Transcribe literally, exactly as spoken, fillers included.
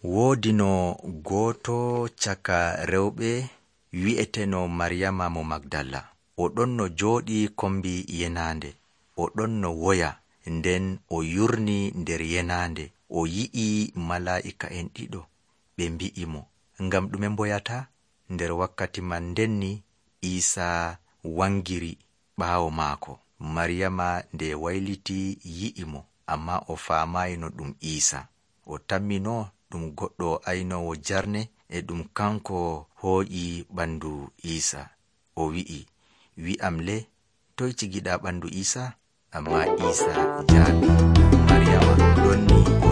Woodi no gooto caka rewɓe wi'eteno Maryama mo Magdala. O ɗon no jooɗi kombi yenande. O ɗon no woya, nden o yurni nder yenande. O yi'i malaa'ika'en ɗiɗo ɓe mbi'i mo, ngam ɗume mboyata? Nder wakkati man ndenni Iisaa wangiri ɓaawo maako. Maryama nde wayliti yi'i mo, amma o faamayi no ɗum Iisaa. O tammino ɗum goɗɗo aynowo jarne e ɗum kanko hooƴi ɓandu Iisaa. O wi'i, wi'am le, toy cigiɗa ɓandu Iisaa? Amma Iisaa jaabi, Maryama ɗon ni o